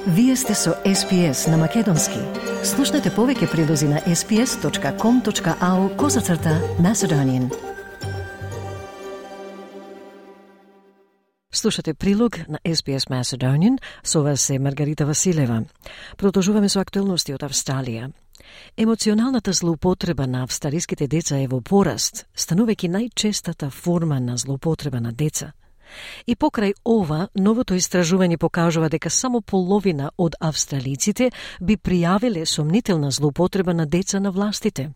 Вие сте со SPS на Македонски. Слушнете повеќе прилози на sps.com.au/Macedonian. Слушате прилог на SPS Macedonian, со вас е Маргарита Василева. Продолжуваме со актуелности од Австралија. Емоционалната злоупотреба на австралиските деца е во пораст, станувајќи најчестата форма на злоупотреба на деца. И покрај ова, новото истражување покажува дека само половина од австралиците би пријавиле сомнителна злоупотреба на деца на властите.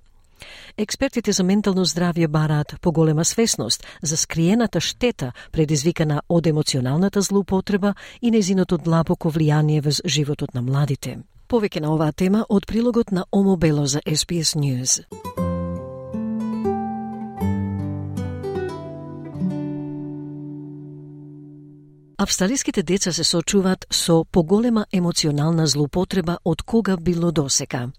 Експертите за ментално здравје бараат поголема свесност за скриената штета предизвикана од емоционалната злоупотреба и нејзиното длабоко влијание врз животот на младите. Повеќе на оваа тема од прилогот на Омо Бело за SBS News. Австралиските деца се соочуваат со поголема емоционална злоупотреба од кога било досека.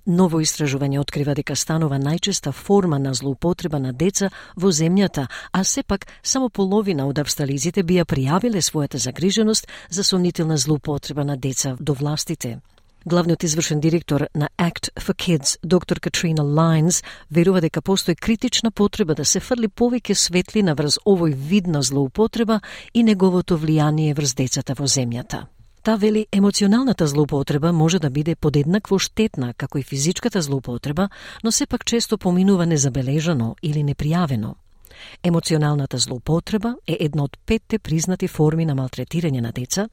Ново истражување открива дека станува најчеста форма на злоупотреба на деца во земјата, а сепак само половина од австралиците би ја пријавиле својата загриженост за сомнителна злоупотреба на деца до властите. Главниот извршен директор на Act for Kids, доктор Катрина Лајнс, верува дека постои критична потреба да се фрли повеќе светлина врз овој вид на злоупотреба и неговото влијание врз децата во земјата. Та вели, емоционалната злоупотреба може да биде подеднакво штетна како и физичката злоупотреба, но сепак често поминува незабележано или непријавено. Емоционалната злоупотреба е една од 5 признати форми на малтретирање на деца,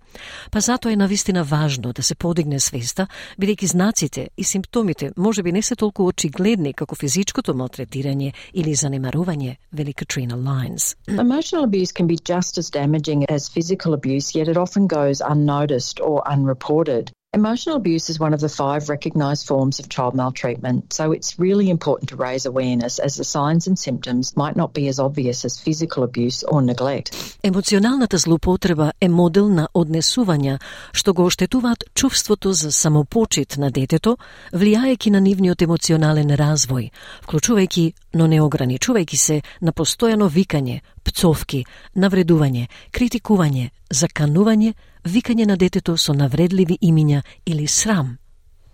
па затоа е навистина важно да се подигне свеста, бидејќи знаците и симптомите можеби не се толку очигледни како физичкото малтретирање или занемарување, вели Катрина Лајнс. Emotional abuse can be just as damaging as physical abuse, yet it often goes unnoticed or unreported. Emotional abuse is one of the 5 recognised forms of child maltreatment, so it's really important to raise awareness as the signs and symptoms might not be as obvious as physical abuse or neglect. Емоционалната злоупотреба е модел на однесувања што го оштетуваат чувството за самопочит на детето, влијајќи на нивниот емоционален развој, вклучувајќи, но не ограничувајќи се на постојано викање, пцовки, навредување, критикување, заканување, викање на детето со навредливи имиња или срам.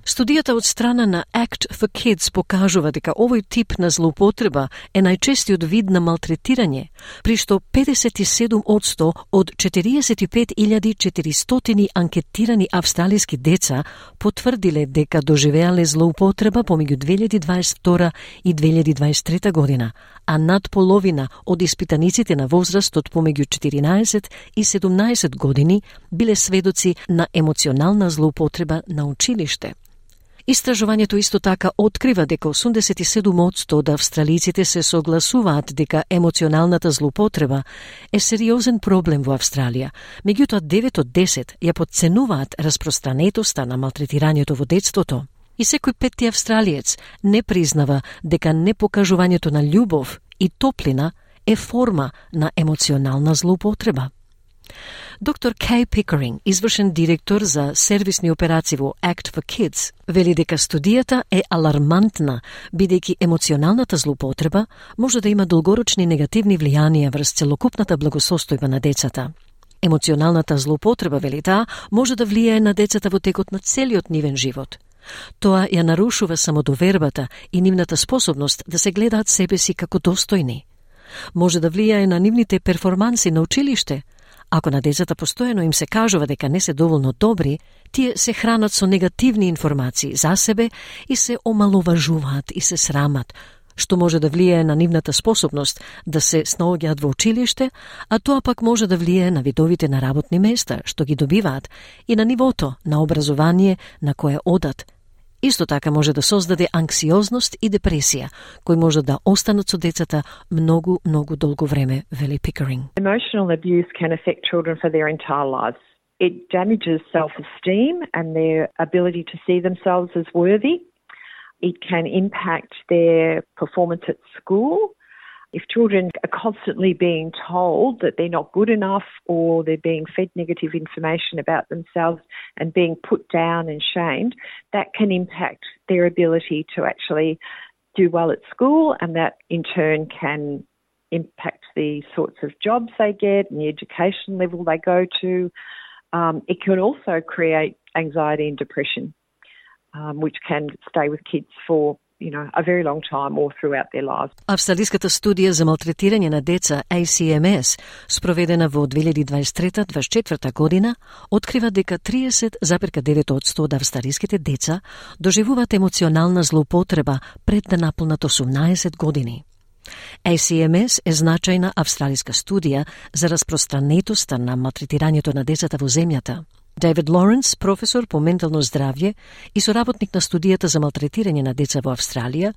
Студијата од страна на Act for Kids покажува дека овој тип на злоупотреба е најчестиот вид на малтретирање, при што 57% од 45.400 анкетирани австралиски деца потврдиле дека доживеале злоупотреба помеѓу 2022 и 2023 година, а над половина од испитаниците на возрастот помеѓу 14 и 17 години биле сведоци на емоционална злоупотреба на училиште. Истражувањето исто така открива дека 87% од австралиците се согласуваат дека емоционалната злоупотреба е сериозен проблем во Австралија, меѓутоа 9 од 10 ја потценуваат распространетоста на малтретирањето во детството. И секој 5-ти австралиец не признава дека непокажувањето на љубов и топлина е форма на емоционална злоупотреба. Доктор Кей Пикеринг, извршен директор за сервисни операции во Act for Kids, вели дека студијата е алармантна, бидејќи емоционалната злоупотреба може да има долгорочни негативни влијанија врз целокупната благосостојба на децата. Емоционалната злоупотреба, вели таа, може да влијае на децата во текот на целиот нивен живот. Тоа ја нарушува самодовербата и нивната способност да се гледаат себе си како достојни. Може да влијае на нивните перформанси на училиште. Ако на децата постојано им се кажува дека не се доволно добри, тие се хранат со негативни информации за себе и се омаловажуваат и се срамат, што може да влијае на нивната способност да се снаоѓаат во училиште, а тоа пак може да влијае на видовите на работни места што ги добиваат и на нивото на образование на кое одат. Исто така може да создаде анксиозност и депресија, кои може да останат со децата многу долго време, вели Пикеринг. Emotional abuse can affect children for their entire lives. It damages self-esteem and their ability to see themselves as worthy. It can impact their performance at school. If children are constantly being told that they're not good enough or they're being fed negative information about themselves and being put down and shamed, that can impact their ability to actually do well at school, and that in turn can impact the sorts of jobs they get and the education level they go to. It can also create anxiety and depression, which can stay with kids for a very long time or throughout their lives. Австралиската студија за малтретирање на деца ACMS, спроведена во 2023-2024 година, открива дека 30,9% од австралиските деца доживуваат емоционална злоупотреба пред да наполнат 18 години. ACMS е значајна австралиска студија за распространетоста на малтретирањето на децата во земјата. Дейвид Лоренс, професор по ментално здравје и соработник на студијата за малтретирање на деца во Австралија,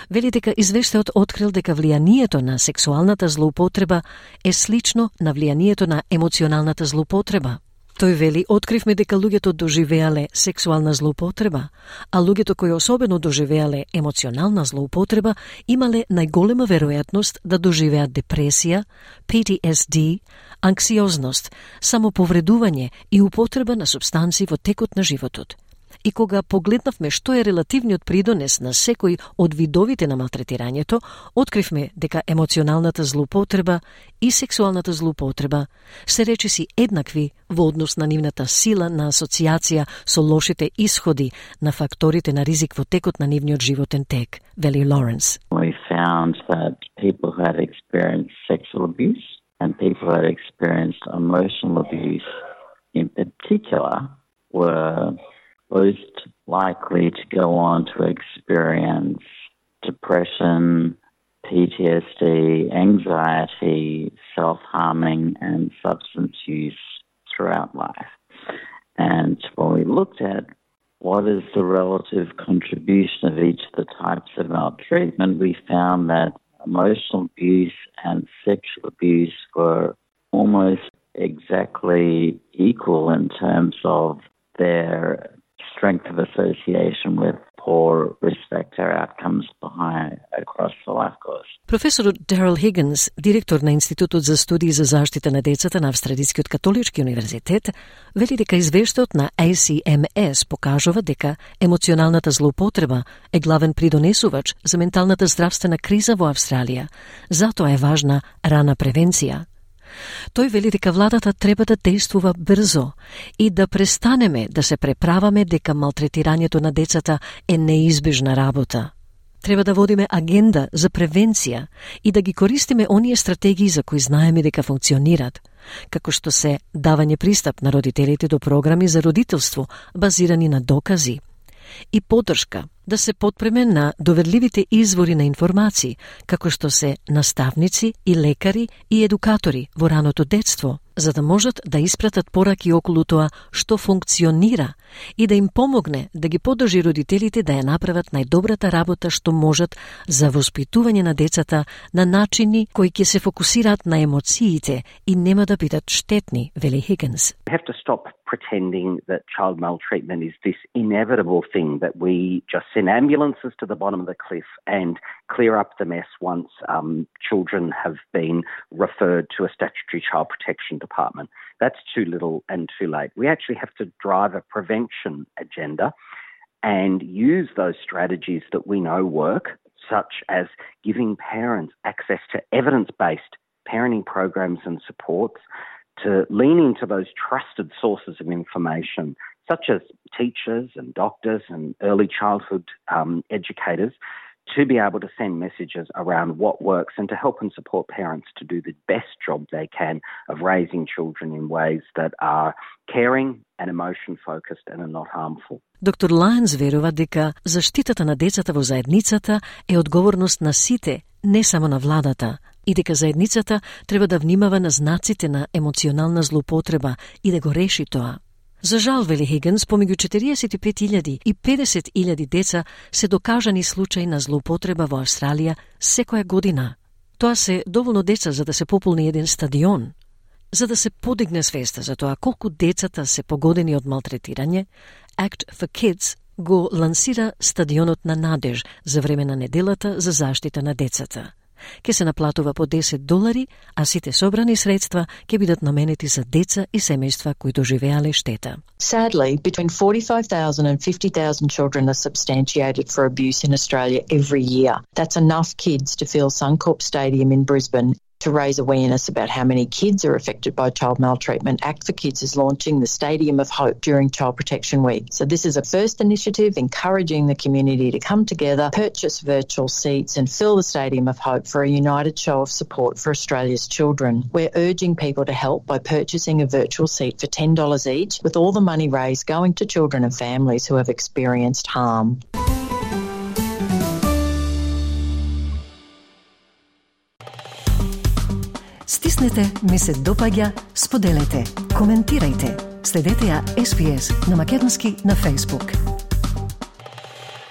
вели дека извештајот открил дека влијанието на сексуалната злоупотреба е слично на влијанието на емоционалната злоупотреба. Тој вели, откривме дека луѓето доживеале сексуална злоупотреба, а луѓето кои особено доживеале емоционална злоупотреба имале најголема веројатност да доживеат депресија, PTSD, анксиозност, самоповредување и употреба на супстанци во текот на животот. И кога погледнавме што е релативниот придонес на секој од видовите на малтретирањето, откривме дека емоционалната злоупотреба и сексуалната злоупотреба се речиси еднакви во однос на нивната сила на асоциација со лошите исходи на факторите на ризик во текот на нивниот животен тек, вели Лоренс. We found that people who had experienced sexual abuse and people who had experienced emotional abuse in particular were most likely to go on to experience depression, PTSD, anxiety, self-harming, and substance use throughout life. And when we looked at what is the relative contribution of each of the types of maltreatment, we found that emotional abuse and sexual abuse were almost exactly equal in terms of their strength of association with poor risk factor outcomes across the life course. Професорот Daryl Higgins, директор на Институтот за студии за заштита на децата на Австралискиот католички универзитет, вели дека извештајот на ACMS покажува дека емоционалната злоупотреба е главен придонесувач за менталната здравствена криза во Австралија. Затоа е важна рана превенција. Тој вели дека владата треба да действува брзо и да престанеме да се преправаме дека малтретирањето на децата е неизбежна работа. Треба да водиме агенда за превенција и да ги користиме оние стратегии за кои знаеме дека функционират, како што се давање пристап на родителите до програми за родителство базирани на докази и поддршка да се потпреме на доверливите извори на информации, како што се наставници и лекари и едукатори во раното детство, за да можат да испратат пораки околу тоа што функционира и да им помогне да ги поддржи родителите да ја направат најдобрата работа што можат за воспитување на децата на начини кои ќе се фокусираат на емоциите и нема да бидат штетни, вели Higgins. We have to stop pretending that child maltreatment is this inevitable thing that we just send ambulances to the bottom of the cliff and clear up the mess once children have been referred to a statutory child protection department. That's too little and too late. We actually have to drive a prevention agenda and use those strategies that we know work, such as giving parents access to evidence-based parenting programs and supports, to lean into those trusted sources of information, such as teachers and doctors and early childhood educators, to be able to send messages around what works and to help and support parents to do the best job they can of raising children in ways that are caring and emotion-focused and are not harmful. Доктор Лајнс верува дека заштитата на децата во заедницата е одговорност на сите, не само на владата, и дека заедницата треба да внимава на знаците на емоционална злоупотреба и да го реши тоа. За жал, вели Хигинс, помеѓу 45.000 и 50.000 деца се докажани случаи на злоупотреба во Австралија секоја година. Тоа се доволно деца за да се пополни еден стадион. За да се подигне свеста за тоа колку децата се погодени од малтретирање, Act for Kids го лансира стадионот на Надеж за време на неделата за заштита на децата. Ке се наплатува по $10, а сите собрани средства ќе бидат наменети за деца и семејства кои доживеале штета. Sadly, between 45,000 and 50,000 children are substantiated for abuse in Australia every year. That's enough kids to fill Suncorp Stadium in Brisbane To raise awareness about how many kids are affected by child maltreatment, Act for Kids is launching the Stadium of Hope during Child Protection Week. So this is a first initiative encouraging the community to come together, purchase virtual seats and fill the Stadium of Hope for a united show of support for Australia's children. We're urging people to help by purchasing a virtual seat for $10 each, with all the money raised going to children and families who have experienced harm. Стиснете, ми се допаѓа, споделете, коментирајте. Следете ја SPS на македонски на Facebook.